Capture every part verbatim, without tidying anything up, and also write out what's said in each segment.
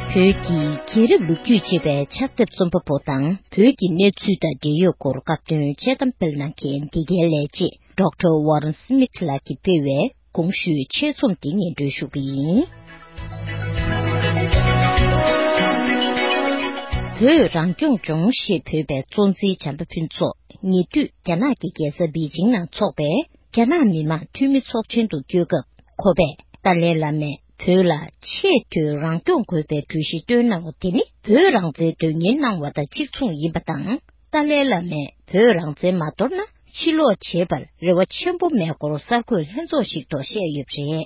བོད་ཀྱི་རྒྱལ་རབས་ལོ་རྒྱུས་ཅེས་པའི་ཕྱག་དེབ་རྩོམ་པ་པོ་དང་། བོད་ཀྱི་གནས་ཚུལ་དང་འབྲེལ་ཡོད་སྐོར་སྐབས་དོན་དཔྱད་གཏམ་སྤེལ་གནང་མཁན་འདི་གའི་ལས་བྱེད་ཌོག་ཊར་ཝོ་རན་སི་མིད་ལགས་ཀྱིས་སྤེལ་བའི་གོང་ཞུས་ཆེད་རྩོམ་འདི་སྙན་སྒྲོན་ཞུ་གི་ཡིན། བོད་རང་སྐྱོང་ལྗོངས་ཞེས་འབོད་པའི་གཙོ་འཛིན་བྱམས་པ་ཕུན་ཚོགས་ཉེ་དུས་རྒྱ་ནག་གི་རྒྱལ་ས་པེ་ཅིང་ནང་འཚོགས་པའི་རྒྱ་ནག་མི་དམངས་འཐུས་མི་ཚོགས་ཆེན་དུ་བསྐྱོད་སྐབས། ཁོ་པས་ཏཱ་ལའི་བླ་མས་བོད་ལ་ཆེས་མཐོའི་རང་སྐྱོང་དགོས་པའི་གྲོས་གཞི་བཏོན་གནང་བ་དེ་ནི། བོད་རང་བཙན་དོན་གཉེར་གནང་བ་དང་གཅིག་མཚུངས་ཡིན་པ་དང་། ཏཱ་ལའི་བླ་མས་བོད་རང་བཙན་མ་དོར་ན། ཕྱིར་ལོག་བྱེད་པར་རེ་བ་ཆེན་པོ་མེད་སྐོར་གསར་འགོད་ལྷན་ཚོགས་ཤིག་ཐོག་བཤད་ཡོད་པ་རེད།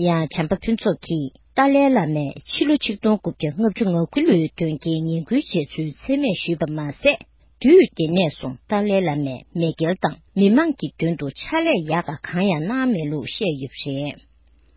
ཡང་། བྱམས་པ་ཕུན་ཚོགས་ཀྱིས་ཏཱ་ལའི་བླ་མས་ཕྱི་ལོ་ཆིག་སྟོང་དགུ་བརྒྱ་ལྔ་བཅུ་ང་དགུ་ལོའི་དོན་རྐྱེན་ངན་སྐུལ་བྱས་ཚུལ་མཚན་སྨད་ཞུས་པ་མ་ཟད། དུས་དེ་ནས་བཟུང་ཏཱ་ལའི་བླ་མས་མེས་རྒྱལ་དང་མི་དམངས་ཀྱི་དོན་དུ་ཕྱག་ལས་ཡག་ག་གང་ཡང་གནང་མེད་ལུགས་བཤད་ཡོད་པ་རེད།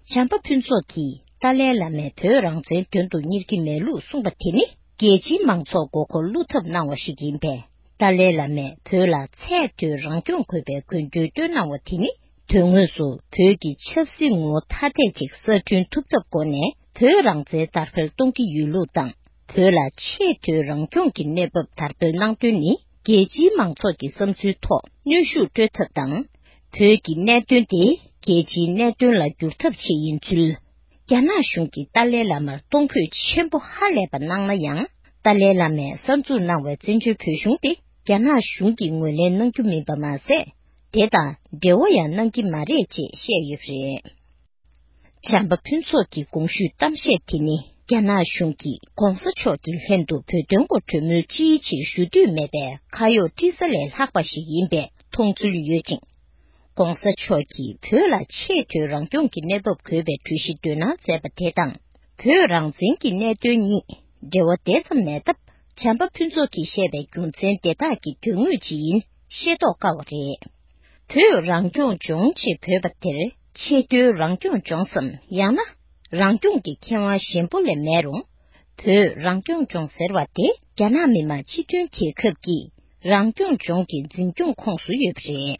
བྱམས་པ་ཕུན་ཚོགས་ཀྱིས་ཏཱ་ལའི་བླ་མས་བོད་རང་བཙན་དོན་དུ་གཉེར་གྱི་མེད་ལུགས་གསུངས་པ་དེ་ནི། རྒྱལ་སྤྱིའི་མང་ཚོགས་མགོ་སྐོར་བླུག་ཐབས་གནང་བ་ཞིག་ཡིན་པས། ཏཱ་ལའི་བླ་མས་བོད་ལ་ཚད་མཐོའི་རང་སྐྱོང་དགོས་པའི་དགོས་འདུན་བཏོན་གནང་བ་དེ་ནི། དོན་དངོས་སུ་བོད་ཀྱི་ཆབ་སྲིད་ངོ་བོ་ཐ་དད་ཅིག་གསར་སྐྲུན་ཐུབ་ཐབས་སྒོ་ནས་བོད་རང་བཙན་དར་སྤེལ་གཏོང་གི་ཡོད་ལུགས་དང་། བོད་ལ་ཆེས་མཐོའི་རང་སྐྱོང་གི་གནས་བབ་དར་སྤེལ་གནང་དོན་ནི། རྒྱལ་སྤྱིའི་མང་ཚོགས་ཀྱི་བསམ་ཚུལ་ཐོག་གནོན་ཤུགས་སྤྲོད་ཐབས་དང་། བོད་ཀྱི་གནད་དོན་དེ་རྒྱལ་སྤྱིའི་གནད་དོན་ལ་བསྒྱུར་ཐབས་ཆེད་ཡིན་ཚུལ། རྒྱ་ནག་གཞུང་གིས་ཏཱ་ལའི་བླ་མར་གཏོང་ཕོད་ཆེན་པོ་ཧ་ལས་པ་གནང་ན་ཡང་། ཏཱ་ལའི་བླ་མས་གསར་འཛུགས་གནང་བའི་བཙན་བྱོལ་བོད་གཞུང་དེ་རྒྱ་ནག་གཞུང་གིས་ངོས་ལེན་གནང་རྒྱུ་མིན་པ་མ་ཟད། དེ་དང་འབྲེལ་བ་ཡང་གནང་གི་མ་རེད་ཅེས་བཤད་ཡོད་པ་རེད། བྱམས་པ་ཕུན་ཚོགས་ཀྱི་གོང་ཞུས་གཏམ་བཤད་དེ་ནི། རྒྱ་ནག་གཞུང་གིས་༧གོང་ས་མཆོག་གི་ལྷན་དུ་བོད་དོན་སྐོར་གྲོས་མོལ་ཅིའི་ཕྱིར་ཞུ་འདོད་མེད་པའི་ཁ་གཡོག་དཀྲི་ས་ལས་ལྷག་པ་ཞིག་ཡིན་པའི་མཐོང་ཚུལ་ཡོད་ཅིང་། ༧གོང་ས་མཆོག་གིས་བོད་ལ་ཆེས་མཐོའི་རང་སྐྱོང་གི་གནས་བབ་དགོས་པའི་གྲོས་གཞི་འདོན་གནང་མཛད་པ་དེ་དང་། བོད་རང་བཙན་གྱི་གནད་དོན་གཉིས་འབྲེལ་བ་དེ་ཙམ་མེད་སྟབས། བྱམས་པ་ཕུན་ཚོགས་ཀྱིས་བཤད་པའི་རྒྱུ་མཚན་དེ་དག་གི་དོན་དངོས་ཇི་ཡིན་ཤེས་རྟོགས་དཀའ་བ་རེད། བོད་རང་སྐྱོང་ལྗོངས་ཅེས་འབོད་པ་དེར་ཆེས་མཐོའི་རང་སྐྱོང་ལྗོངས་སམ། ཡང་ན་རང་སྐྱོང་གི་ཁེ་དབང་གཞན་པོ་ལས་མེད་རུང་། བོད་རང་སྐྱོང་ལྗོངས་ཟེར་བ་དེ་རྒྱ་ནག་མི་དམངས་སྤྱི་མཐུན་རྒྱལ་ཁབ་ཀྱི་རང་སྐྱོང་ལྗོངས་ཀྱི་འཛིན་སྐྱོང་ཁོངས་སུ་ཡོད་པ་རེད།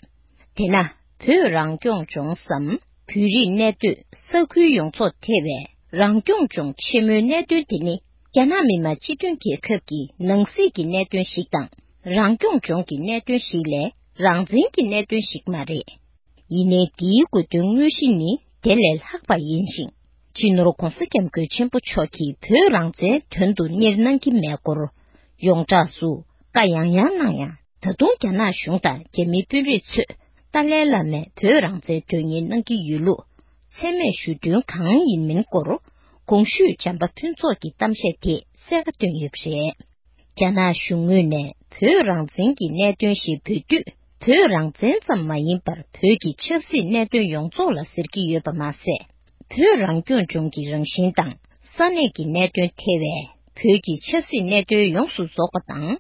དེས་ན། བོད་རང་སྐྱོང་ལྗོངས་སམ། བོད་རིགས་གནས་སྡོད་ས་ཁུལ་ཡོངས་རྫོགས་ཐེ་བའི་རང་སྐྱོང་ལྗོངས་ཆེན་མོའི་གནད་དོན་དེ་ནི། རྒྱ་ནག་མི་དམངས་སྤྱི་མཐུན་རྒྱལ་ཁབ་ཀྱི་ནང་སྲིད་ཀྱི་གནད་དོན་ཞིག་དང་། རང་སྐྱོང་ལྗོངས་ཀྱི་གནད་དོན་ཞིག་ལས་རང་བཙན་གྱི་གནད་དོན་ཞིག་མ་རེད། ཡིན་ནའི་འདིའི་དགོས་དོན་དངོས་གཞི་ནི་དེ་ལས་ལྷག་པ་ཡིན་ཞིང་། སྤྱི་ནོར་༧གོང་ས་༧སྐྱབས་མགོན་ཆེན་པོ་མཆོག་གིས་བོད་རང་བཙན་དོན་དུ་གཉེར་གནང་གི་མེད་སྐོར་ཡོངས་གྲགས་སུ་བཀའ་ཡང་ཡང་གནང་ཡང་། ད་དུང་རྒྱ་ནག་གཞུང་དང་རྒྱ་མིའི་དཔོན་རིགས་ཚོས་ཏཱ་ལའི་བླ་མས་བོད་རང་བཙན་དོན་གཉེར་གནང་གི་ཡོད་ལུགས་མཚན་སྨད་ཞུ་དོན་གང་ཡིན་མིན་སྐོར་གོང་ཞུས་བྱམས་པ་ཕུན་ཚོགས་ཀྱི་གཏམ་བཤད་དེས་གསལ་ཁ་བཏོན་ཡོད་པ་རེད། རྒྱ་ནག་གཞུང་ངོས་ནས་བོད་རང་བཙན་གྱི་གནད་དོན་ཞེས་འབོད་དུས། བོད་རང་བཙན་ཙམ་མ་ཡིན་པར་བོད་ཀྱི་ཆབ་སྲིད་གནད་དོན་ཡོངས་རྫོགས་ལ་ཟེར་གྱི་ཡོད་པ་མ་ཟད། བོད་རང་སྐྱོང་ལྗོངས་ཀྱི་རང་བཞིན་དང་ས་གནས་ཀྱི་གནད་དོན་ཐེ་བའི་བོད་ཀྱི་ཆབ་སྲིད་གནད་དོན་ཡོངས་སུ་རྫོགས་པ་དང་།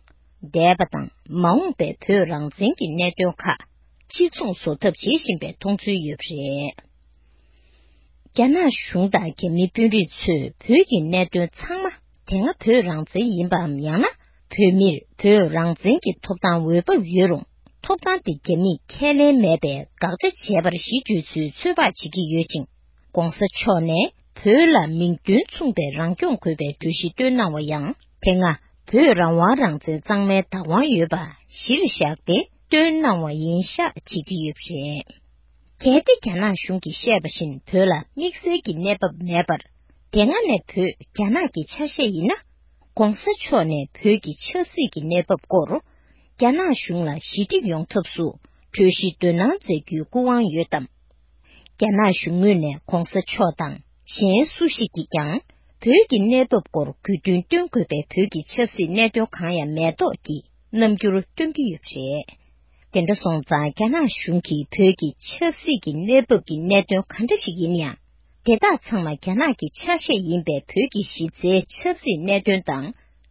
འདས་པ་དང་མ་འོངས་པའི་བོད་རང་བཙན་གྱི་གནད་དོན་ཁག་གཅིག་མཚུངས་བཟོ་ཐབས་བྱེད་བཞིན་པའི་མཐོང་ཚུལ་ཡོད་པ་རེད། རྒྱ་ནག་གཞུང་དང་རྒྱ་མིའི་དཔོན་རིགས་ཚོས་བོད་ཀྱི་གནད་དོན་ཚང་མ་དེ་སྔ་བོད་རང་བཙན་ཡིན་པའམ། ཡང་ན་བོད་མིར་བོད་རང་བཙན་གྱི་ཐོབ་ཐང་འོས་བབ་ཡོད་རུང་། ཐོབ་ཐང་དེ་རྒྱ་མིས་ཁས་ལེན་མེད་པའི་དགག་བྱ་བྱས་པར་གཞི་བཅོལ་ཚུལ་ཚོད་དཔག་བྱེད་ཀྱི་ཡོད་ཅིང་། ༸གོང་ས་མཆོག་ནས་བོད་ལ་མིང་དོན་མཚུངས་པའི་རང་སྐྱོང་དགོས་པའི་གྲོས་གཞི་བཏོན་གནང་བ་ཡང་། དེ་སྔ་བོད་རང་དབང་རང་བཙན་གཙང་མའི་བདག་དབང་ཡོད་པ་གཞིར་བཞག་སྟེ་བཏོན་གནང་བ་ཡིན་ཤག་བྱེད་ཀྱི་ཡོད་པ་རེད། གལ་ཏེ་རྒྱ་ནག་གཞུང་གིས་བཤད་པ་བཞིན་བོད་ལ་དམིགས་བསལ་གྱི་གནས་བབ་མེད་པར། དེ་སྔ་ནས་བོད་རྒྱ་ནག་གི་ཆ་ཤས་ཡིན་ན། ༸གོང་ས་མཆོག་ནས་བོད་ཀྱི་ཆབ་སྲིད་ཀྱི་གནས་བབ་སྐོར་རྒྱ་ནག་གཞུང་ལ་ཞི་འགྲིག་ཡོང་ཐབས་སུ་གྲོས་གཞི་འདོན་གནང་མཛད་རྒྱུའི་སྐུ་དབང་ཡོད་དམ། རྒྱ་ནག་གཞུང་ངོས་ནས་༸གོང་ས་མཆོག་དང་གཞན་སུ་ཞིག་གིས་ཀྱང་བོད་ཀྱི་གནས་བབ་སྐོར་དགོས་འདུན་བཏོན་དགོས་པའི་བོད་ཀྱི་ཆབ་སྲིད་གནད་དོན་གང་ཡང་མེད་མདོག་གི་རྣམ་འགྱུར་སྟོན་གྱི་ཡོད་པ་རེད། དེ་འདྲ་སོང་ཙང་རྒྱ་ནག་གཞུང་གིས་བོད་ཀྱི་ཆབ་སྲིད་ཀྱི་གནས་བབ་ཀྱི་གནད་དོན་ག་འདྲ་ཞིག་ཡིན་ཡང་། དེ་དག་ཚང་མ་རྒྱ་ནག་གི་ཆ་ཤས་ཡིན་པའི་བོད་ཀྱི་གཞི་རྩའི་ཆབ་སྲིད་གནད་དོན་དང་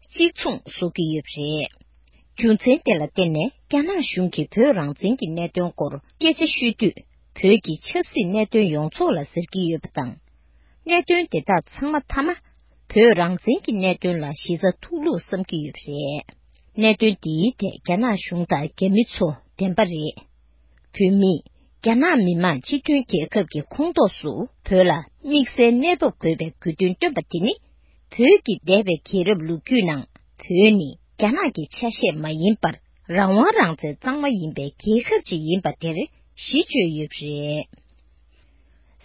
གཅིག་མཚུངས་བཟོ་གི་ཡོད་པ་རེད། རྒྱུ་མཚན་དེ་ལ་བརྟེན་ནས་རྒྱ་ནག་གཞུང་གིས་བོད་རང་བཙན་གྱི་གནད་དོན་སྐོར་སྐད་ཆ་ཤོད་དུས། བོད་ཀྱི་ཆབ་སྲིད་གནད་དོན་ཡོངས་རྫོགས་ལ་ཟེར་གྱི་ཡོད་པ་དང་། གནད་དོན་དེ་དག་ཚང་མ་མཐའ་མ་བོད་རང་བཙན་གྱི་གནད་དོན་ལ་གཞི་རྩ་ཐུག་ལུགས་བསམ་གྱི་ཡོད་པ་རེད། གནད་དོན་འདིའི་ཐད་རྒྱ་ནག་གཞུང་དང་རྒྱ་མི་ཚོ་བདེན་པ་རེད། བོད་མིས་རྒྱ་ནག་མི་དམངས་སྤྱི་མཐུན་རྒྱལ་ཁབ་ཀྱི་ཁོངས་གཏོགས་སུ་བོད་ལ་དམིགས་བསལ་གནས་བབ་དགོས་པའི་དགོས་འདུན་བཏོན་པ་དེ་ནི། བོད་ཀྱི་འདས་པའི་རྒྱལ་རབས་ལོ་རྒྱུས་ནང་བོད་ནི་རྒྱ་ནག་གི་ཆ་ཤས་མ་ཡིན་པར་རང་དབང་རང་བཙན་གཙང་མ་ཡིན་པའི་རྒྱལ་ཁབ་ཅིག་ཡིན་པ་དེར་གཞི་བཅོལ་ཡོད་པ་རེད།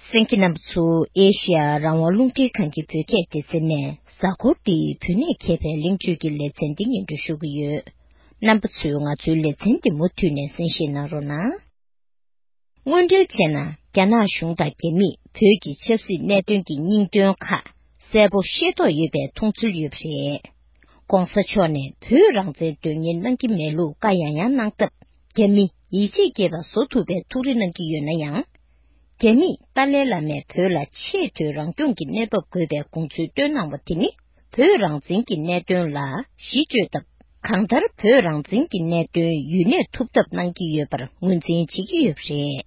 གསན་མཁན་རྣམ་པ་ཚོ་ཨེ་ཤི་ཡ་རང་དབང་རླུང་འཕྲིན་ཁང་གི་བོད་སྐད་སྡེ་ཚན་ནས་གཟའ་འཁོར་འདིའི་བོད་གནས་མཁས་པའི་གླེང་བརྗོད་ཀྱི་ལེ་ཚན་འདི་སྙན་སྒྲོན་ཞུ་གི་ཡོད། རྣམ་པ་ཚོས་ང་ཚོའི་ལེ་ཚན་འདི་མུ་མཐུད་ནས་གསན་བཞེས་གནང་རོགས་གནང་། དངོས་འབྲེལ་བྱས་ན་རྒྱ་ནག་གཞུང་དང་རྒྱ་མིས་བོད་ཀྱི་ཆབ་སྲིད་གནད་དོན་གྱི་སྙིང་དོན་ཁག་གསལ་པོ་ཤེས་རྟོགས་ཡོད་པའི་མཐོང་ཚུལ་ཡོད་པ་རེད། ྋགོང་ས་མཆོག་ནས་བོད་རང་བཙན་དོན་གཉེར་གནང་གི་མེད་ལུགས་བཀའ་ཡང་ཡང་གནང་སྟབས། རྒྱ་མི་ཡིད་ཆེས་སྐྱེས་པ་བཟོ་ཐུབ་པའི་ཐུགས་རེ་གནང་གི་ཡོད་ན་ཡང་། རྒྱ་མིས་ཏཱ་ལའི་བླ་མས་བོད་ལ་ཆེས་མཐོའི་རང་སྐྱོང་གི་གནས་བབ་དགོས་པའི་དགོངས་ཚུལ་བཏོན་གནང་བ་དེ་ནི་བོད་རང་བཙན་གྱི་གནད་དོན་ལ་གཞི་བཅོལ་སྟབས། གང་ལྟར་བོད་རང་བཙན་གྱི་གནད་དོན་ཡུན་གནས་ཐུབ་ཐབས་གནང་གི་ཡོད་པར་ངོས་འཛིན་བྱེད་ཀྱི་ཡོད་པ་རེད།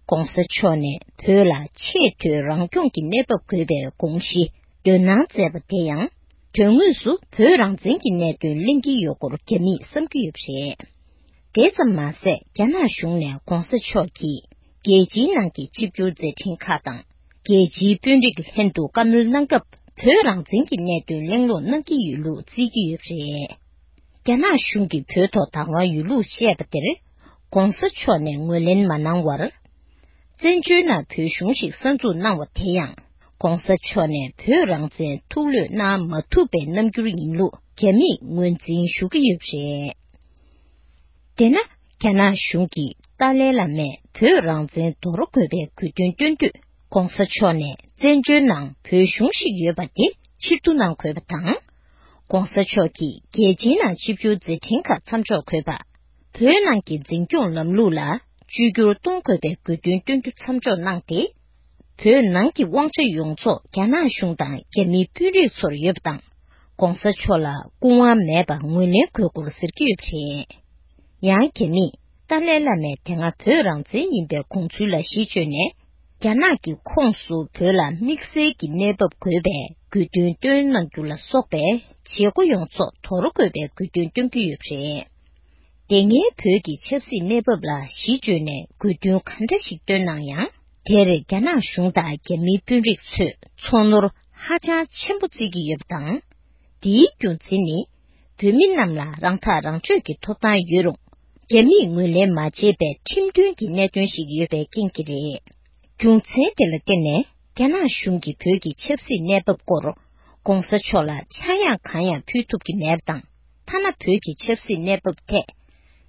ྋགོང་ས་མཆོག་ནས་བོད་ལ་ཆེས་མཐོའི་རང་སྐྱོང་གི་གནས་བབ་དགོས་པའི་དགོངས་གཞི་འདོན་གནང་མཛད་པ་དེ་ཡང་དོན་དངོས་སུ་བོད་རང་བཙན་གྱི་གནད་དོན་གླེང་གི་ཡོད་སྐོར་རྒྱ་མིས་བསམ་གྱི་ཡོད་པ་རེད། དེ་ཙམ་མ་ཟད་རྒྱ་ནག་གཞུང་ནས་ྋགོང་ས་མཆོག་གིས་རྒྱལ་སྤྱིའི་ནང་གི་ཆིབས་བསྒྱུར་མཛད་འཕྲིན་ཁག་དང་རྒྱལ་སྤྱིའི་དཔོན་རིགས་ལྷན་དུ་བཀའ་མོལ་གནང་སྐབས་བོད་རང་བཙན་གྱི་གནད་དོན་གླེང་སློང་གནང་གི་ཡོད་ལུགས་བརྩི་གི་ཡོད་པ་རེད། རྒྱ་ནག་གཞུང་གིས་བོད་ཐོག་བདག་དབང་ཡོད་ལུགས་བཤད་པ་དེར་ྋགོང་ས་མཆོག་ནས་ངོས་ལེན་མ་གནང་བར། བཙན་བྱོལ་ནང་བོད་གཞུང་ཞིག་གསར་འཛུགས་གནང་བ་དེ་ཡང་ྋགོང་ས་མཆོག་ནས་བོད་རང་བཙན་ཐུགས་བློས་གནང་མ་ཐུབ་པའི་རྣམ་འགྱུར་ཡིན་ལུགས་རྒྱ་མིས་ངོས་འཛིན་ཞུ་གི་ཡོད་པ་རེད། དེས་ན་རྒྱ་ནག་གཞུང་གིས་ཏཱ་ལའི་བླ་མས་བོད་རང་བཙན་དོར་དགོས་པའི་དགོས་འདུན་བཏོན་དུས་ྋགོང་ས་མཆོག་ནས་བཙན་བྱོལ་ནང་བོད་གཞུང་ཞིག་ཡོད་པ་དེ་ཕྱིར་བསྡུ་གནང་དགོས་པ་དང་། ྋགོང་ས་མཆོག་གིས་རྒྱལ་སྤྱིའི་ནང་ཆིབས་བསྒྱུར་མཛད་འཕྲིན་ཁག་མཚམས་འཇོག་དགོས་པ། བོད་ནང་གི་འཛིན་སྐྱོང་ལམ་ལུགས་ལ་བཅོས་བསྒྱུར་གཏོང་དགོས་པའི་དགོས་འདུན་བཏོན་རྒྱུ་མཚམས་འཇོག་གནང་སྟེ། བོད་ནང་གི་དབང་ཆ་ཡོངས་རྫོགས་རྒྱ་ནག་གཞུང་དང་རྒྱ་མིའི་དཔོན་རིགས་ཚོར་ཡོད་པ་དང་། ྋགོང་ས་མཆོག་ལ་སྐུ་དབང་མེད་པ་ངོས་ལེན་དགོས་སྐོར་ཟེར་གྱི་ཡོད་པ་རེད། ཡང་རྒྱ་མིས་ཏཱ་ལའི་བླ་མས་དེ་སྔ་བོད་རང་བཙན་ཡིན་པའི་དགོངས་ཚུལ་ལ་གཞི་བཅོལ་ནས། རྒྱ་ནག་གི་ཁོངས་སུ་བོད་ལ་དམིགས་བསལ་གྱི་གནས་བབ་དགོས་པའི་དགོས་འདུན་བཏོན་གནང་རྒྱུ་ལ་སོགས་པའི་བྱེད་སྒོ་ཡོངས་རྫོགས་དོར་དགོས་པའི་དགོས་འདུན་བཏོན་གྱི་ཡོད་པ་རེད། དེ་སྔའི་བོད་ཀྱི་ཆབ་སྲིད་གནས་བབ་ལ་གཞི་བཅོལ་ནས་དགོས་འདུན་ག་འདྲ་ཞིག་བཏོན་གནང་ཡང་། དེར་རྒྱ་ནག་གཞུང་དང་རྒྱ་མིའི་དཔོན་རིགས་ཚོས་ཚོར་སྣང་ཧ་ཅང་ཆེན་པོ་བརྩི་གི་ཡོད་པ་དང་། དེའི་རྒྱུ་མཚན་ནི། བོད་མི་རྣམས་ལ་རང་ཐག་རང་གཅོད་ཀྱི་ཐོབ་ཐང་ཡོད་རུང་། རྒྱ་མིས་ངོས་ལེན་མ་བྱས་པའི་ཁྲིམས་མཐུན་གྱི་གནད་དོན་ཞིག་ཡོད་པའི་རྐྱེན་གྱིས་རེད། རྒྱུ་མཚན་དེ་ལ་བརྟེན་ནས་རྒྱ་ནག་གཞུང་གིས་བོད་ཀྱི་ཆབ་སྲིད་གནས་བབ་སྐོར་ྋགོང་ས་མཆོག་ལ་ཆག་ཡང་གང་ཡང་ཕུལ་ཐུབ་ཀྱི་མེད་པ་དང་། ཐ་ན་བོད་ཀྱི་ཆབ་སྲིད་གནས་བབ་ཐད་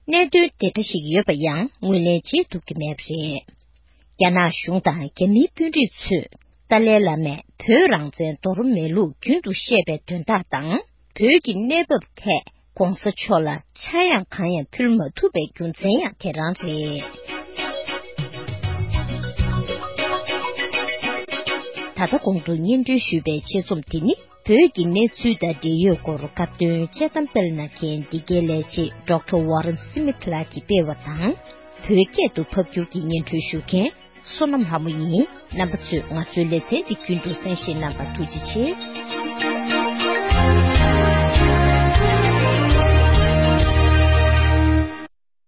གནད་དོན་དེ་འདྲ་ཞིག་ཡོད་པ་ཡང་ངོས་ལེན་བྱེད་ཐུབ་ཀྱི་མེད་པ་རེད། རྒྱ་ནག་གཞུང་དང་རྒྱ་མིའི་དཔོན་རིགས་ཚོས་ཏཱ་ལའི་བླ་མས་བོད་རང་བཙན་དོར་མེད་ལུགས་རྒྱུན་དུ་བཤད་པའི་དོན་དག་དང་། བོད་ཀྱི་གནས་བབ་ཐད་ྋགོང་ས་མཆོག་ལ་ཆག་ཡང་གང་ཡང་ཕུལ་མ་ཐུབ་པའི་རྒྱུ་མཚན་ཡང་དེ་རང་རེད། ད་ལྟ་གོང་དུ་སྙན་སྒྲོན་ཞུས་པའི་ཆེད་རྩོམ་དེ་ནི། བོད་ཀྱི་གནས་ཚུལ་དང་འབྲེལ་ཡོད་སྐོར་སྐབས་དོན་དཔྱད་གཏམ་སྤེལ་གནང་མཁན་འདི་གའི་ལས་བྱེད་ཌོག་ཊར་ཝ་རན་སི་མིཐ་ལགས་ཀྱིས་སྤེལ་བ་དང་། བོད་སྐད་དུ་ཕབ་བསྒྱུར་གྱིས་སྙན་སྒྲོན་ཞུ་མཁན་བསོད་ནམས་ལྷ་མོ་ཡིན། རྣམ་པ་ཚོས་ང་ཚོའི་ལེ་ཚན་འདི་རྒྱུན་དུ་གསན་བཞེས་གནང་བར་ཐུགས་རྗེ་ཆེ།